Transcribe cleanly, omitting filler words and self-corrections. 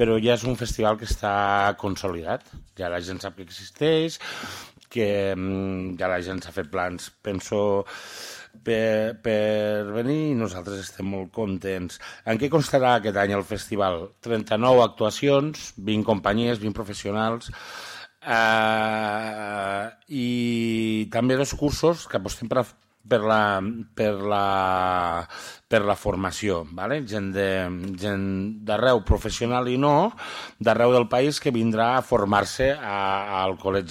però ja és un festival que està consolidat. Ja la gent sap que existeix, que ja la gent s'ha fet plans, penso, per venir, i nosaltres estem molt contents. En què constarà aquest any el festival? 39 actuacions, 20 companyies, 20 professionals, i també 2 cursos que apostem per la formació, ¿vale? Gent d'arreu, professional i no, d'arreu del país, que vindrà a formar-se al Col·legi